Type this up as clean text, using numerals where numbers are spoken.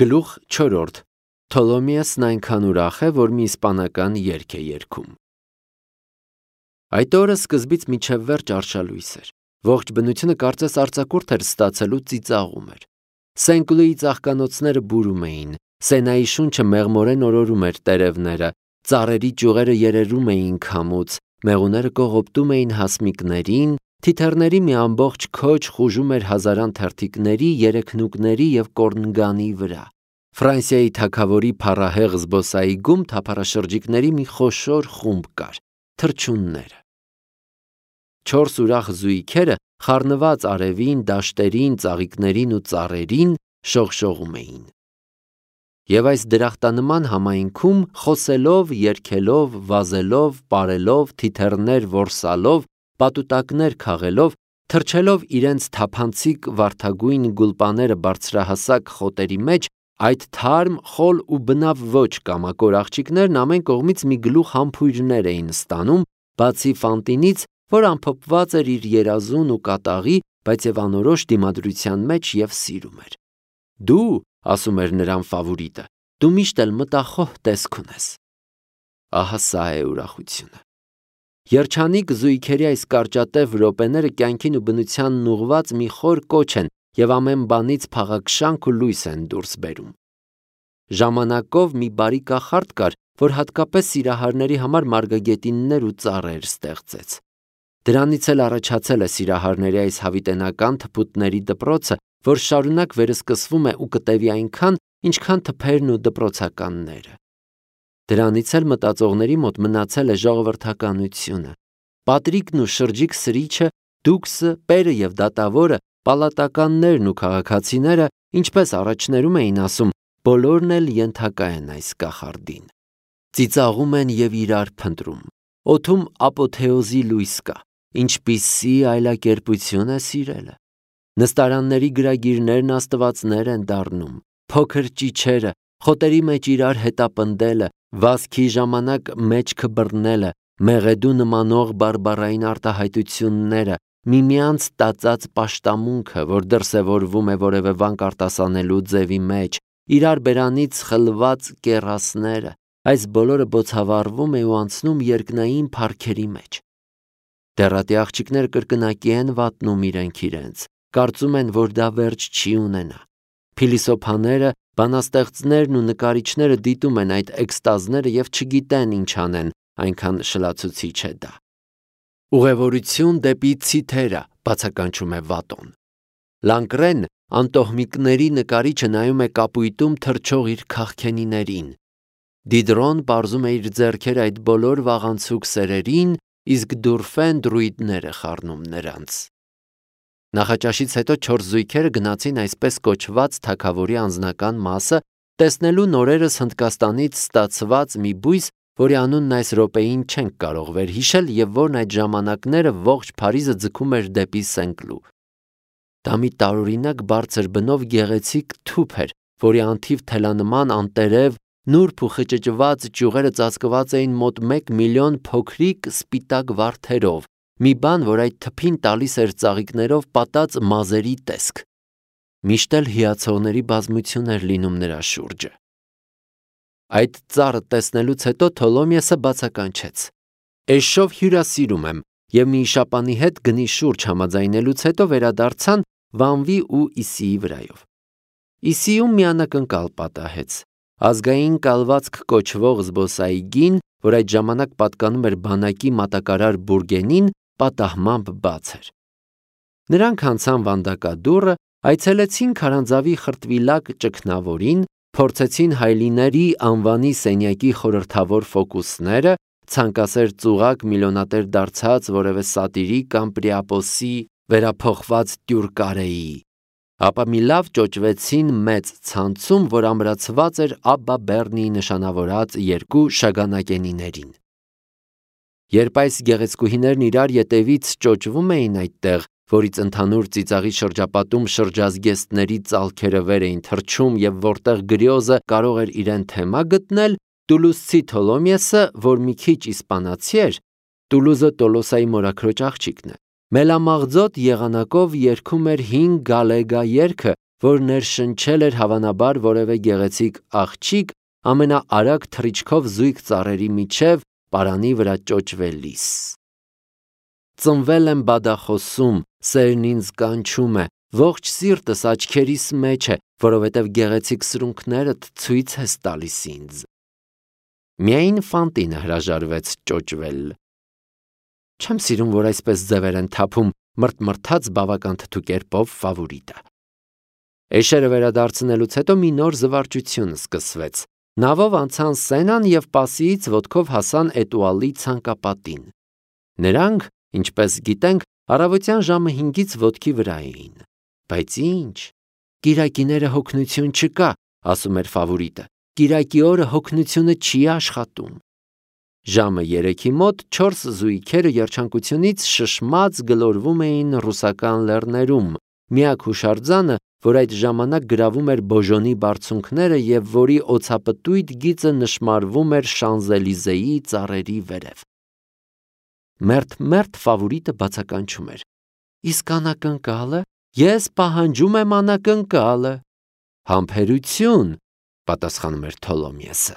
Գլուխ 4. Թոլոմիոսն այնքան ուրախ է, որ մի իսպանական երգ է երգում։ Այդ օրը սկզբից մինչև վերջ արշալույս էր։ Ողջ բնությունը կարծես արձակուրդ էր ստացելու ծիծաղում էր։ Սենկլուի ծաղկանոցները բուրում էին, Սենայի շունչը մեղմորեն օրորում էր տերևները, ծառերի ճյուղերը երերում էին քամուց, մեղուները կողոպտում էին հասմիկներին, թիթեռների մի ամբողջ քոչ խուժում էր հազարան թերթիկների, երեքնուկների և կորնգանի վրա։ Ֆրանսիայի թագավորի փառահեղ զբոսայգում թափառաշրջիկների մի խոշոր խումբ կար, թռչունները։ Չորս ուրախ զույգերը խառնված արևին, դաշտերին, ծաղիկներին ու ծառերին շողշողում էին։ Եվ այս դրախտանման համայնքում խոսելով, երգելով, վազելով, պարելով, թիթեռներ որսալով, պատուտակներ քաղելով, թռչելով իրենց թափանցիկ վարդագույն գուլպաները բարձրահասակ խոտերի մեջ, այդ թարմ, խոլ ու բնավ ոչ կամակոր աղջիկներն ամեն կողմից մի գլուխ համբույրներ էին ստանում, բացի Ֆանտինից, որ ամփոփված էր իր երազուն ու կատաղի, բայց և անորոշ դիմադրության մեջ և սիրում էր։ Դու, ասում էր նրան ֆավորիտը, դու միշտ էլ մտախոհ տեսք ունես։ Ահա սա է ուրախությունը։ Երջանիկ զույգերի այս կարճատև րոպեները կյանքին ու բնությանն ուղղված մի խոր կոչ են և ամեն բանից փաղաքշանք ու լույս են դուրս բերում։ Ժամանակով մի բարի կախարդ կար, որ հատկապես սիրահարների համար մարգագետիններ ու ծառեր ստեղծեց։ Դրանից էլ առաջացել է սիրահարների այս հավիտենական թփուտների դպրոցը, որ շարունակ վերսկսվում է ու կտևի այնքան, ինչքան թփերն ու դպրոցականները։ Դրանից էլ մտածողների մոտ մնացել է ժողովրդականությունը։ Պատրիկն ու շրջիկ սրիչը, դուքսը, պերը և դատավորը, պալատականներն ու քաղաքացիները, ինչպես առաջներում էին ասում, բոլորն էլ ենթակա են այս կախարդին։ Ծիծաղում են և իրար փնտրում։ Օդում ապոթեոզի լույս կա։ Ինչպիսի այլակերպություն է սիրելը։ Նստարանների գրագիրներն աստվածներ են դառնում, փոքր ճիչերը, խոտերի մեջ իրար հետապնդելը, վազքի ժամանակ մեջքը բռնելը, մեղեդու նմանող բարբառային արտահայտությունները, միմյանց տածած պաշտամունքը, որ դրսևորվում է որևէ վանք արտասանելու ձևի մեջ, իրար բերանից խլված կեռասները, այս բոլորը բոցավառվում է ու անցնում երկնային փառքերի մեջ։ Դեռատի աղջիկները կրկնակի են վատնում իրենք, կարծում են, որ դա վերջ չի ունենա։ Փիլիսոփաները, բանաստեղծներն ու նկարիչները դիտում են այդ էքստազները և չգիտեն ինչ անեն, այնքան շլացուցիչ է դա։ Ուղևորություն դեպի Ցիթերա, բացականչում է Վատոն։ Լանկրեն, անտոհմիկների նկարիչը նայում է կապույտում թռչող իր քաղքենիներին։ Դիդրոն պարզում է իր ձեռքերը այդ բոլոր վաղանցուկ սերերին, իսկ Դուրֆեն դրույդներ է խառնում նրանց։ Նախաճաշից հետո չորս զույգերը գնացին այսպես կոչված թագավորի անձնական մասը, տեսնելու նորերս Հնդկաստանից ստացված մի բույս, որի անունն այս րոպեին չենք կարող վերհիշել և որն այդ ժամանակները ողջ Փարիզը ձգում էր դեպի Սենկլու։ Դա մի տարօրինակ բարձր բնով գեղեցիկ թուփ էր, որի անթիվ թելանման անտերև, նուրբ ու խճճված ճյուղերը ծածկված էին մոտ 1 միլիոն փոքրիկ սպիտակ վարդերով, մի բան, որ այդ թփին տալիս էր ծաղիկներով պատած մազերի տեսք։ Միշտ էլ հիացողների բազմություն էր լինում նրա շուրջը։ Այդ ծառը տեսնելուց հետո Թոլոմիոսը բացականչեց. Էշով հյուրասիրում եմ, և մի իշապանի հետ գնի շուրջ համաձայնելուց հետո վերադարձան Վանվի ու Իսիի վրայով։ Իսիում մի անակնկալ պատահեց։ Ազգային կալվածք կոչվող զբոսայգին, որ այդ ժամանակ պատկանում էր բանակի մատակարար բուրգենին, պատահմամբ բաց էր։ Նրանք անցան վանդակադուռը, այցելեցին քարանձավի խրտվիլակ ճգնավորին, փորձեցին Հայլիների անվանի սենյակի խորհրդավոր ֆոկուսները, ցանկասեր ծուղակ միլիոնատեր դարձած որևէ սատիրի կամ Պրիապոսի վերափոխված Տյուրկարեի, ապա մի լավ ճոճվեցին մեծ ցանցում, որ ամրացված էր Աբբա Բեռնիի նշանավորած երկու շագանակենիներին։ Երբ այս գեղեցկուհիներն իրար ետևից ճոճվում էին այդտեղ, որից ընդհանուր ծիծաղի շրջապատում շրջազգեստների ծալքերը վեր էին թռչում և որտեղ գրիոզը կարող էր իրեն թեմա գտնել, տուլուզցի Թոլոմիոսը, որ մի քիչ իսպանացի էր, Տուլուզը Տոլոսայի մորաքրոջ աղջիկն է, մելամաղձոտ եղանակով երգում էր հին գալեգա երգը, որ ներշնչել էր հավանաբար որևէ գեղեցիկ աղջիկ ամենաարագ թռիչքով զույգ ծառերի միջև պարանի վրա ճոճվելիս։ Ծնվել եմ բադախոսում, սերն ինձ կանչում է, ողջ սիրտս աչքերիս մեջ է, որովհետև գեղեցիկ սրունքներդ ցույց ես տալիս ինձ։ Միայն Ֆանտինը հրաժարվեց ճոճվել։ Չեմ սիրում, որ այսպես ձևեր են թափում, մրթմրթաց բավական թթու կերպով Ֆավորիտը։ Էշերը վերադարձնելուց հետո մի նոր զվարճություն սկսվեց։ Նավով անցան Սենան և Պասիից ոտքով հասան Էտուալի ցանկապատին։ Նրանք, ինչպես գիտենք, առավոտյան ժամը 5-ից ոտքի վրա էին։ Բայց ինչ, կիրակիները հոգնություն չկա, ասում էր Ֆավորիտը, կիրակի օրը հոգնությունը չի աշխատում։ Ժամը 3-ի մոտ 4 զույգերը երջանկությունից շշմած գլորվում էին ռուսական լեռներում, միակ հուշարձանը, որ այդ ժամանակ գրավում էր Բոժոնի բարձունքները և որի օձապտույտ գիծը նշմարվում էր Շանզելիզեի ծառերի վերև։ Մերթ Ֆավորիտը բացականչում էր. Իսկ անակնկալը, ես պահանջում եմ անակնկալը։ Համբերություն, պատասխանում էր Թոլոմիեսը։